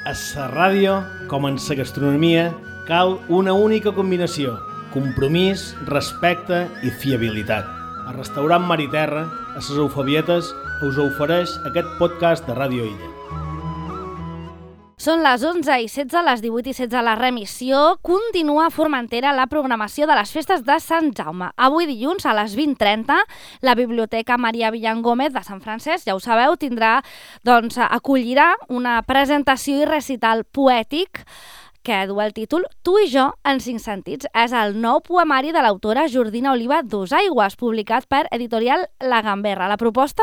A la ràdio, com en la gastronomia, cal una única combinació: compromís, respecte i fiabilitat. El restaurant Mar i Terra, a les Eufabietes, us ofereix aquest podcast de Ràdio Illa. Són les 11:16, les 18:16 a la remissió. Continua a Formentera la programació de les festes de Sant Jaume. Avui dilluns a les 20:30 la Biblioteca Maria Villangómez de Sant Francesc, ja ho sabeu, acollirà una presentació i recital poètic que du el títol Tu i jo en 5 sentits. És el nou poemari de l'autora Jordina Oliva Dosaigües, publicat per Editorial La Gamberra. La proposta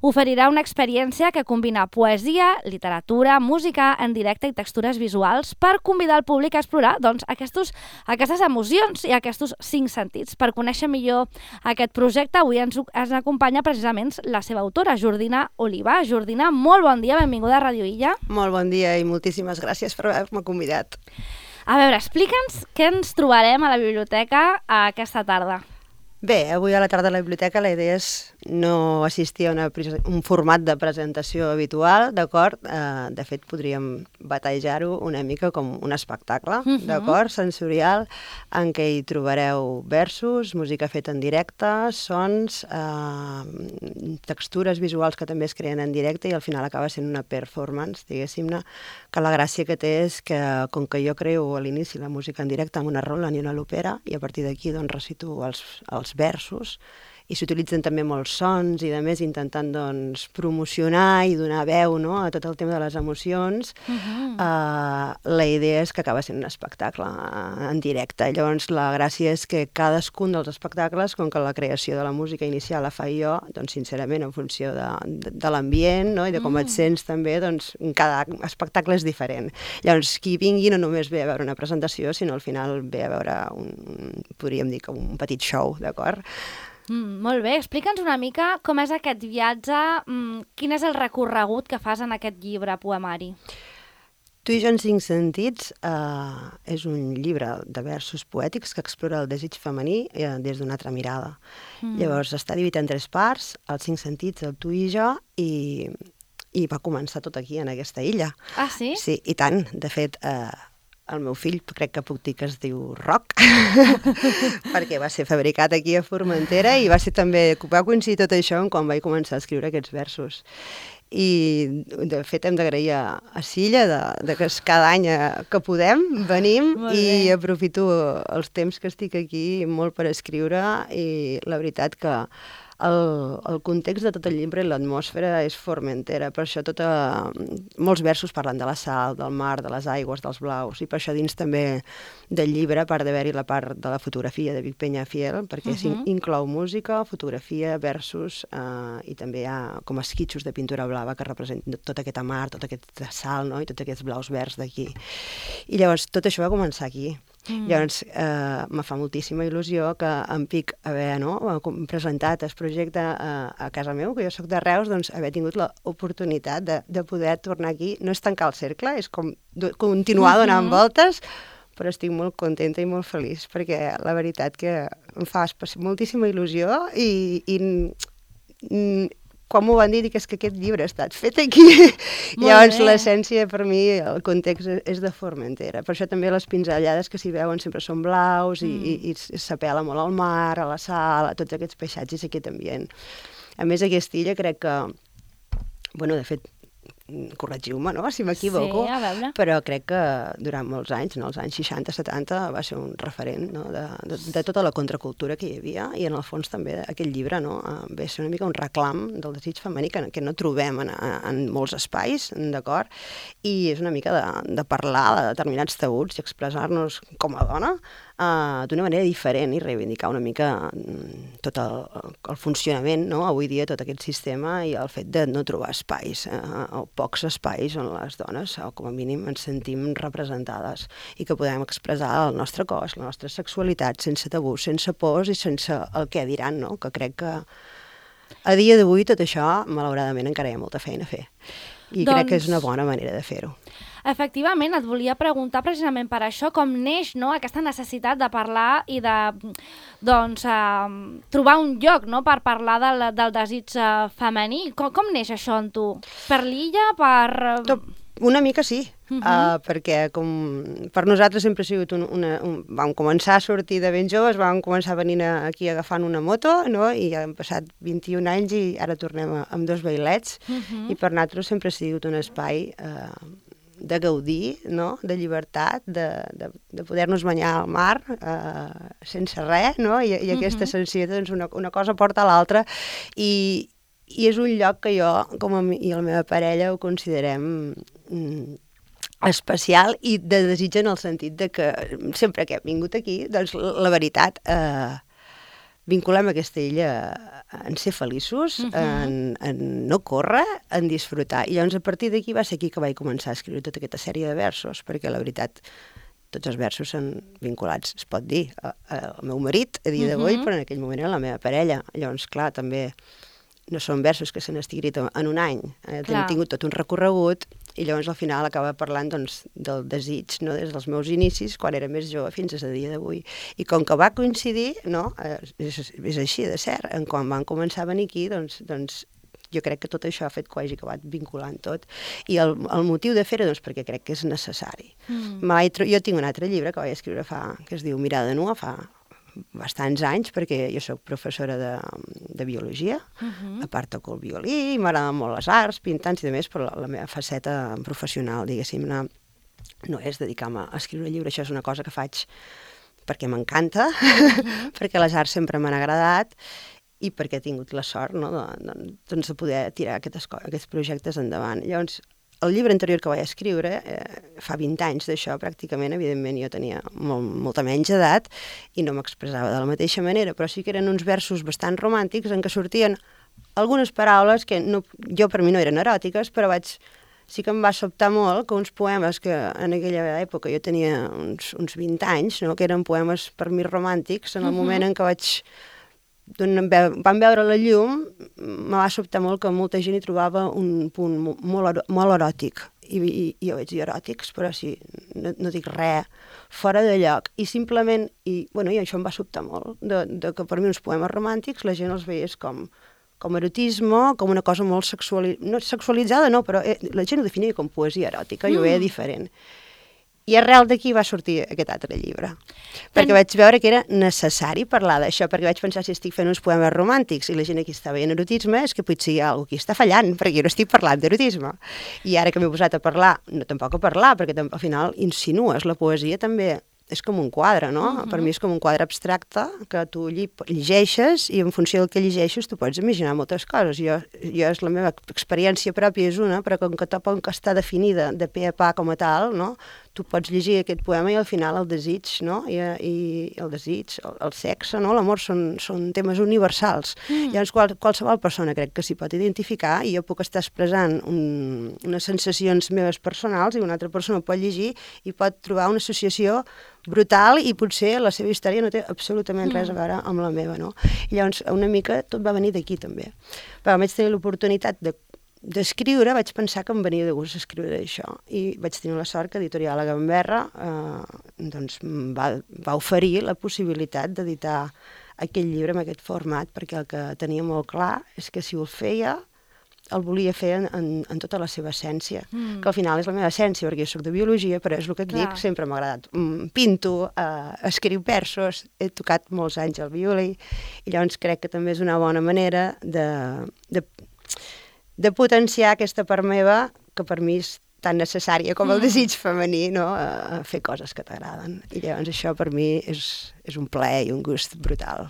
oferirà una experiència que combina poesia, literatura, música en directe i textures visuals per convidar el públic a explorar aquestes emocions i aquests 5 sentits. Per conèixer millor aquest projecte, avui ens acompanya precisament la seva autora, Jordina Oliva. Jordina, molt bon dia, benvinguda a Ràdio Illa. Molt bon dia i moltíssimes gràcies per haver-me convidat. A veure, explica'ns què ens trobarem a la biblioteca aquesta tarda. Bé, avui a la tarda a la biblioteca la idea és no assistir a un format de presentació habitual, d'acord? De fet, podríem batejar-ho una mica com un espectacle, d'acord? Sensorial, en què hi trobareu versos, música feta en directe, sons, textures visuals que també es creen en directe i al final acaba sent una performance, diguéssim-ne, que la gràcia que té és que, com que jo creo a l'inici la música en directe amb una rola i una lopera, i a partir d'aquí doncs recito els versos, i s'utilitzen també molts sons i, a més, intentant promocionar i donar veu a tot el tema de les emocions, la idea és que acaba sent un espectacle en directe. Llavors, la gràcia és que cadascun dels espectacles, com que la creació de la música inicial la faig jo, doncs, sincerament, en funció de l'ambient i de com et sents també, doncs, cada espectacle és diferent. Llavors, qui vingui no només ve a veure una presentació, sinó al final ve a veure podríem dir, un petit show, d'acord? Molt bé, explica'ns una mica com és aquest viatge, quin és el recorregut que fas en aquest llibre poemari. Tu i jo en 5 sentits és un llibre de versos poètics que explora el desig femení des d'una altra mirada. Llavors està dividit en 3 parts, els 5 sentits, el tu i jo, i va començar tot aquí, en aquesta illa. Ah, sí? Sí, i tant. De fet, el meu fill crec que puc dir que es diu Roc, perquè va ser fabricat aquí a Formentera i va coincidir tot això quan vaig començar a escriure aquests versos. I, de fet, hem d'agrair a Silla que cada any que podem venim i aprofito els temps que estic aquí molt per escriure i la veritat que el context de tot el llibre i l'atmosfera és Formentera, per això molts versos parlen de la sal, del mar, de les aigües, dels blaus, i per això dins també del llibre, a part d'haver-hi la part de la fotografia de Vic Peñafiel, perquè inclou música, fotografia, versos, i també hi ha com esquitxos de pintura blava que representen tota aquesta mar, tota aquesta sal, i tots aquests blaus verds d'aquí. I llavors tot això va començar aquí. Llavors, me fa moltíssima il·lusió que en pic haver presentat el projecte a casa meu, que jo soc de Reus, doncs haver tingut l'oportunitat de poder tornar aquí. No és tancar el cercle, és com continuar donant voltes, però estic molt contenta i molt feliç, perquè la veritat que em fa moltíssima il·lusió i quan m'ho van dir, dic, és que aquest llibre ha estat fet aquí. Llavors, l'essència, per mi, el context és de Formentera. Per això també les pinzellades que s'hi veuen sempre són blaus i s'apel·la molt al mar, a la sal, a tots aquests paisatges, aquest ambient. A més, aquesta illa crec que, de fet, corregiu-me, si m'equivoco, però crec que durant molts anys, els anys 60-70, va ser un referent de tota la contracultura que hi havia, i en el fons també aquest llibre ve a ser una mica un reclam del desig femení que no trobem en molts espais, d'acord? I és una mica de parlar de determinats tabuts i expressar-nos com a dona d'una manera diferent i reivindicar una mica tot el funcionament, avui dia, tot aquest sistema i el fet de no trobar espais o pocs espais on les dones, o com a mínim, ens sentim representades i que podem expressar el nostre cos, la nostra sexualitat, sense tabús, sense pors i sense el què diran, que crec que a dia d'avui tot això, malauradament, encara hi ha molta feina a fer. I crec que és una bona manera de fer-ho. Efectivament, et volia preguntar precisament per això, com neix aquesta necessitat de parlar i de trobar un lloc per parlar del desig femení. Com neix això en tu? Per l'illa? Una mica sí, perquè per nosaltres sempre ha sigut vam començar a sortir de ben joves, vam començar a venir aquí agafant una moto, no? I han passat 21 anys i ara tornem amb 2 vailets, i per nosaltres sempre ha sigut un espai de gaudir, no? De llibertat, de poder-nos banyar al mar sense res, no? I aquesta sensació, doncs, una cosa porta a l'altra, i és un lloc que jo, com a mi i la meva parella, ho considerem especial i de desig en el sentit de que sempre que hem vingut aquí, doncs la veritat, vinculem aquesta illa en ser feliços, en no córrer, en disfrutar. I llavors a partir d'aquí va ser aquí que vaig començar a escriure tota aquesta sèrie de versos, perquè la veritat tots els versos són vinculats, es pot dir, al meu marit a dia d'avui, però en aquell moment era la meva parella. Llavors, clar, també no són versos que s'han escrit en un any, han tingut tot un recorregut, i llavors al final acaba parlant, doncs, del desig, no? Des dels meus inicis, quan era més jove, fins a dia d'avui. I com que va coincidir, no? És així de cert, quan van començar a venir aquí, doncs jo crec que tot això ha fet que ho hagi acabat vinculant tot. I el motiu de fer-ho, doncs, perquè crec que és necessari. Jo tinc un altre llibre que vaig escriure que es diu Mirada nua, fa bastants anys, perquè jo soc professora de biologia, a part toco el violí, i m'agraden molt les arts, pintants i de més, però la meva faceta professional, diguéssim, no és dedicar-me a escriure llibre, això és una cosa que faig perquè m'encanta, perquè les arts sempre m'han agradat, i perquè he tingut la sort, no, doncs, de poder tirar aquests projectes endavant. Llavors, el llibre anterior que vaig escriure, fa 20 anys d'això, pràcticament, evidentment jo tenia molta menys edat i no m'expressava de la mateixa manera, però sí que eren uns versos bastant romàntics en què sortien algunes paraules que jo per mi no eren eròtiques, però sí que em va sobtar molt que uns poemes que en aquella època jo tenia uns 20 anys, no, que eren poemes per mi romàntics, en el moment en què van veure la llum, me va sobtar molt que molta gent hi trobava un punt molt eròtic. I jo vaig dir eròtics, però sí, no dic res fora de lloc. I simplement, i això em va sobtar molt, de que per mi uns poemes romàntics la gent els veiés com erotisme, com una cosa molt sexualitzada, no, però la gent ho definia com poesia eròtica, jo ho veia diferent. I arrel d'aquí va sortir aquest altre llibre, perquè vaig veure que era necessari parlar d'això, perquè vaig pensar, si estic fent uns poemes romàntics i la gent aquí està veient erotisme, és que potser hi ha algú aquí està fallant, perquè jo no estic parlant d'erotisme. I ara que m'he posat a parlar, no tampoc a parlar, perquè al final insinues, la poesia també és com un quadre, no? Per mi és com un quadre abstracte que tu llegeixes i en funció del que llegeixes tu pots imaginar moltes coses. La meva experiència pròpia és una, però com que tampoc està definida de pe a pa com a tal, no? Tu pots llegir aquest poema i al final el desig, no? I el desig, el sexe, no? L'amor són temes universals. Llavors qualsevol persona crec que s'hi pot identificar i jo puc estar expressant unes sensacions meves personals i una altra persona ho pot llegir i pot trobar una associació brutal i potser la seva història no té absolutament res a veure amb la meva, no? I llavors una mica tot va venir d'aquí també. Però vaig tenir l'oportunitat d'escriure, vaig pensar que em venia de gust escriure això i vaig tenir la sort que Editorial La Gamberra doncs va oferir la possibilitat d'editar aquest llibre en aquest format, perquè el que tenia molt clar és que si ho feia el volia fer en tota la seva essència, que al final és la meva essència, perquè jo soc de biologia, però és el que et dic, sempre m'ha agradat. Pinto, escriu versos, he tocat molts anys el violí, i llavors crec que també és una bona manera de potenciar aquesta part meva, que per mi és tan necessària com el desig femení, no? A fer coses que t'agraden. I llavors això per mi és un plaer i un gust brutal.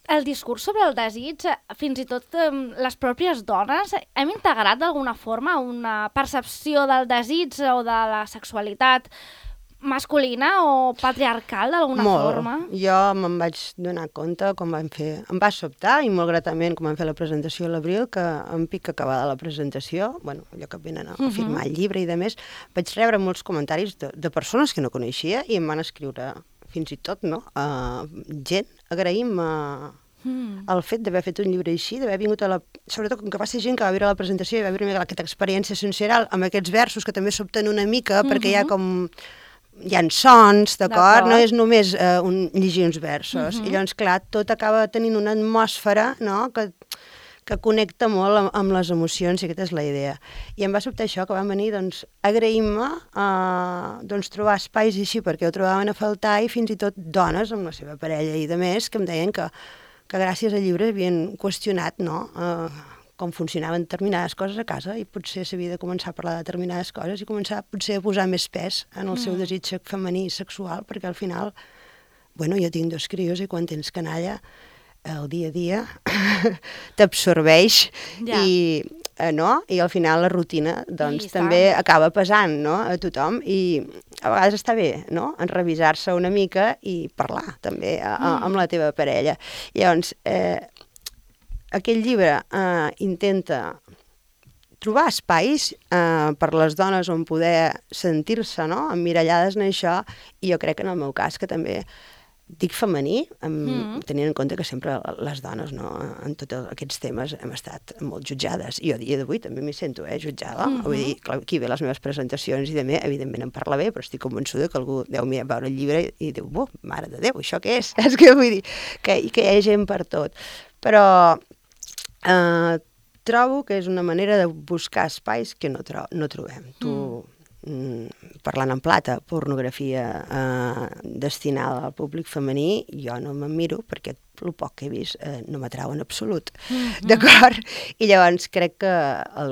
El discurs sobre el desig, fins i tot les pròpies dones, hem integrat d'alguna forma una percepció del desig o de la sexualitat masculina o patriarcal d'alguna forma? Jo me'n vaig donar compte quan vam fer... Em va sobtar i molt gratament quan vam fer la presentació a l'abril, que en pic acabada la presentació, allò que venen a firmar el llibre i de més, vaig rebre molts comentaris de persones que no coneixia i em van escriure fins i tot, no? Gent agraïm el fet d'haver fet un llibre així, d'haver vingut sobretot com que va ser gent que va veure la presentació i va veure aquesta experiència sensorial amb aquests versos que també sobten una mica perquè hi ha sons, d'acord? No és només llegir uns versos. I llavors, clar, tot acaba tenint una atmosfera, no?, que que connecta molt amb les emocions, i aquesta és la idea. I em va sobtar això, que van venir doncs, agraint-me trobar espais així, perquè ho trobaven a faltar, i fins i tot dones amb la seva parella i de més, que em deien que gràcies al llibre havien qüestionat, no?, com funcionaven determinades coses a casa, i potser s'havia de començar a parlar de determinades coses i començar potser a posar més pes en el seu desig femení i sexual, perquè al final, jo tinc 2 crios i quan tens canalla, el dia a dia t'absorbeix i al final la rutina també acaba pesant, no?, a tothom, i a vegades està bé, no?, en revisar-se una mica i parlar també amb la teva parella. Llavors, aquest llibre intenta trobar espais per les dones on poder sentir-se, no?, emmirallades en això, i jo crec que en el meu cas, que també dic femení, tenint en compte que sempre les dones, no?, en tots aquests temes hem estat molt jutjades, i jo a dia d'avui també m'hi sento jutjada, vull dir, aquí ve les meves presentacions i també, evidentment em parla bé, però estic convençuda que algú deu veure el llibre i diu, mare de Déu, això què és? És que vull dir que hi ha gent per tot. Però trobo que és una manera de buscar espais que no trobem. Tu, parlant en plata, pornografia destinada al públic femení, jo no me'n miro perquè el poc que he vist no m'atrau en absolut, d'acord? I llavors crec que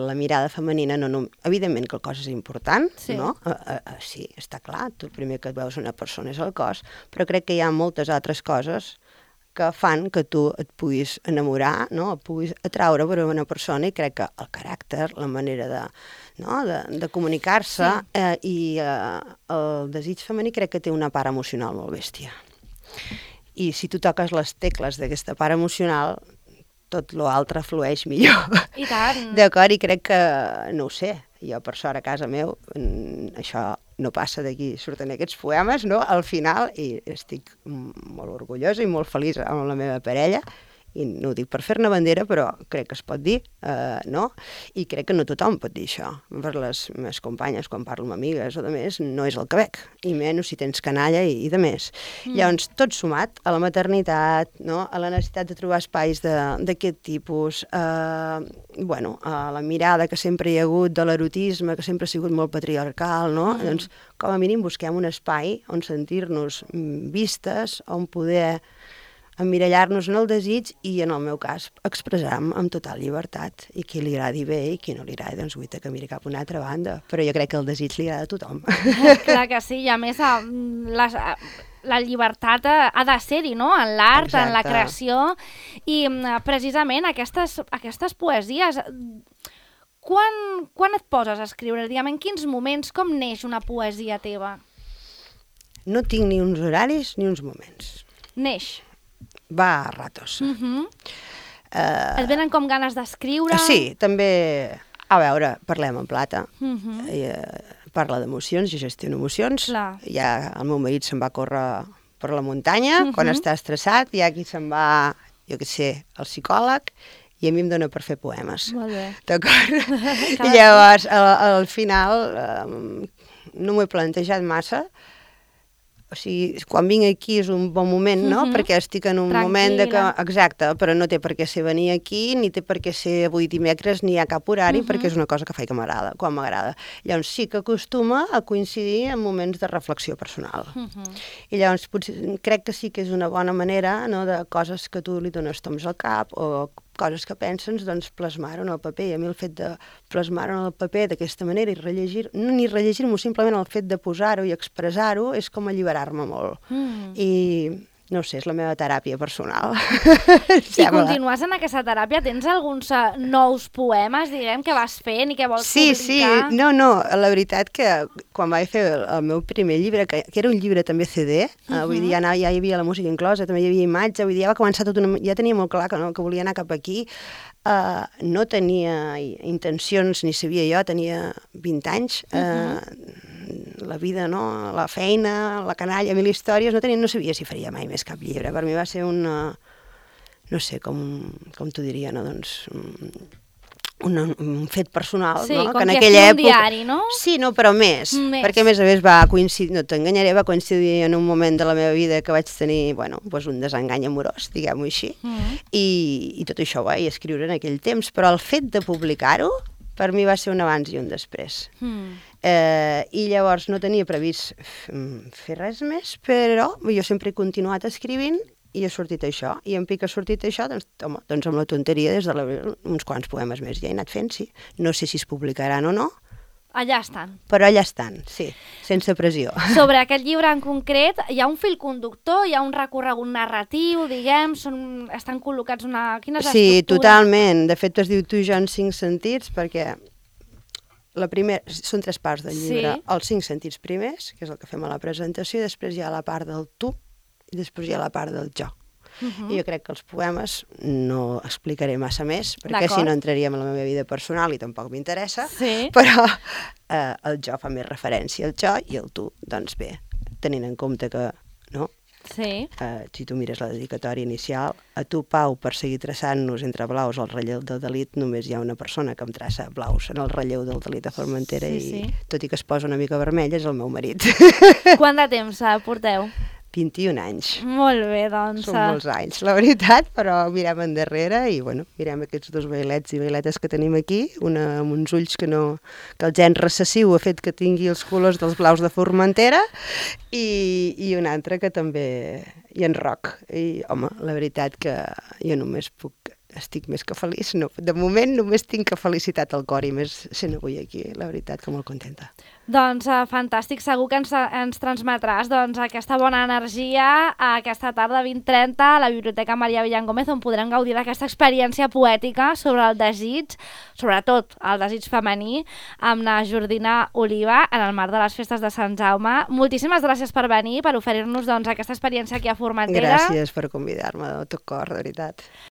la mirada femenina, evidentment que el cos és important, no? Sí, està clar, tu primer que et veus una persona és el cos, però crec que hi ha moltes altres coses que fan que tu et puguis enamorar, no?, et puguis atraure per una persona, i crec que el caràcter, la manera de comunicar-se i el desig femení crec que té una part emocional molt bèstia. I si tu toques les tecles d'aquesta part emocional, tot l'altre flueix millor. I tant. D'acord? I crec que, no ho sé, jo per sort a casa meu, això no passa d'aquí, surten aquests poemes, no?, al final, i estic molt orgullosa i molt feliç amb la meva parella, i no ho dic per fer-ne bandera, però crec que es pot dir, no? I crec que no tothom pot dir això. Per les meves companyes, quan parlo amb amigues o de més, no és el que veig, i menys si tens canalla i de més. Llavors, tot sumat a la maternitat, no?, a la necessitat de trobar espais d'aquest tipus, a la mirada que sempre hi ha hagut de l'erotisme, que sempre ha sigut molt patriarcal, no? Doncs, com a mínim, busquem un espai on sentir-nos vistes, on poder emmirallar-nos en el desig i, en el meu cas, expressar amb total llibertat. I qui li agradi bé i qui no li agradi, doncs guaita que miri cap a una altra banda. Però jo crec que el desig li agrada a tothom. Clar que sí, i a més la llibertat ha de ser-hi, no?, en l'art, en la creació, i precisament aquestes poesies, quan et poses a escriure? Diguem, en quins moments, com neix una poesia teva? No tinc ni uns horaris ni uns moments. Neix. Va a ratos. Et venen com ganes d'escriure? Sí, també, a veure, parlem en plata, parla d'emocions, jo gestiono emocions, ja el meu marit se'n va córrer per la muntanya, quan està estressat, hi ha qui se'n va, jo què sé, al psicòleg, i a mi em dóna per fer poemes. Molt bé. D'acord? I llavors, al final, no m'ho he plantejat massa. O sigui, quan vinc aquí és un bon moment, no? Perquè estic en un moment de que... Exacte, però no té per què ser venir aquí, ni té per què ser avui dimecres, ni hi ha cap horari, perquè és una cosa que faig que m'agrada, quan m'agrada. Llavors sí que acostuma a coincidir en moments de reflexió personal. I llavors crec que sí que és una bona manera, no?, de coses que tu li dones toms al cap o coses que penses, doncs plasmar-ho en el paper. I a mi el fet de plasmar-ho en el paper d'aquesta manera i ni rellegir-m'ho, simplement el fet de posar-ho i expressar-ho és com alliberar-me molt. I no sé, és la meva teràpia personal. I continues en aquesta teràpia? Tens alguns nous poemes, diguem, que vas fent i que vols publicar? Sí, no, la veritat que quan vaig fer el meu primer llibre, que era un llibre també CD, vull dir, ja hi havia la música inclosa, també hi havia imatge, vull dir, ja va començar ja tenia molt clar que volia anar cap aquí, no tenia intencions, ni sabia jo, tenia 20 anys, la vida, no? La feina, la canalla, 1000 històries, no sabia si faria mai més cap llibre. Per mi va ser una, no sé, com t'ho diria, no? Doncs un fet personal, sí, no? Com que en que aquella és un època... diari, no? Sí, no, però més. Perquè a més va coincidir, no t'enganyaré, va coincidir en un moment de la meva vida que vaig tenir, bueno, doncs un desengany amorós, diguem-ho així, i tot això ho vaig escriure en aquell temps, però el fet de publicar-ho, per mi va ser un abans i un després. I llavors no tenia previst fer res més, però jo sempre he continuat escrivint i ha sortit això. I en pic ha sortit això, doncs, home, doncs amb la tonteria des de uns quants poemes més ja he anat fent, sí. No sé si es publicaran o no. Allà estan. Però allà estan, sí, sense pressió. Sobre aquest llibre en concret, hi ha un fil conductor, hi ha un recorregut narratiu, diguem, estan col·locats una... Quina és l'estructura? Sí, totalment. De fet, es diu Tu i jo en 5 sentits, perquè la primera, són 3 parts del llibre. Sí. Els 5 sentits primers, que és el que fem a la presentació, i després hi ha la part del tu, i després hi ha la part del jo. I jo crec que els poemes no explicaré massa més, perquè si no entraríem en la meva vida personal i tampoc m'interessa, però el jo fa més referència al jo i el tu, doncs bé, tenint en compte que, no? Sí. Si tu mires la dedicatòria inicial, a tu, Pau, per seguir traçant-nos entre blaus el relleu del delit, només hi ha una persona que em traça blaus en el relleu del delit a Formentera i tot i que es posa una mica vermella és el meu marit. Quant de temps porteu? 21 anys. Molt bé, doncs. Són molts anys, la veritat, però mirem endarrere i, bueno, mirem aquests 2 vailets i vailetes que tenim aquí, una amb uns ulls que el gen recessiu ha fet que tingui els colors dels blaus de Formentera i una altra que també hi ha en roc. I, home, la veritat que jo només estic més que feliç. No, de moment només tinc felicitat al cor i més sent avui aquí, la veritat que molt contenta. Doncs fantàstic, segur que ens transmetràs aquesta bona energia aquesta tarda 20:30 a la Biblioteca Maria Villan Gómez, on podrem gaudir d'aquesta experiència poètica sobre el desig, sobretot el desig femení, amb la Jordina Oliva en el marc de les festes de Sant Jaume. Moltíssimes gràcies per venir, per oferir-nos aquesta experiència aquí a Formentera. Gràcies per convidar-me de tot cor, de veritat.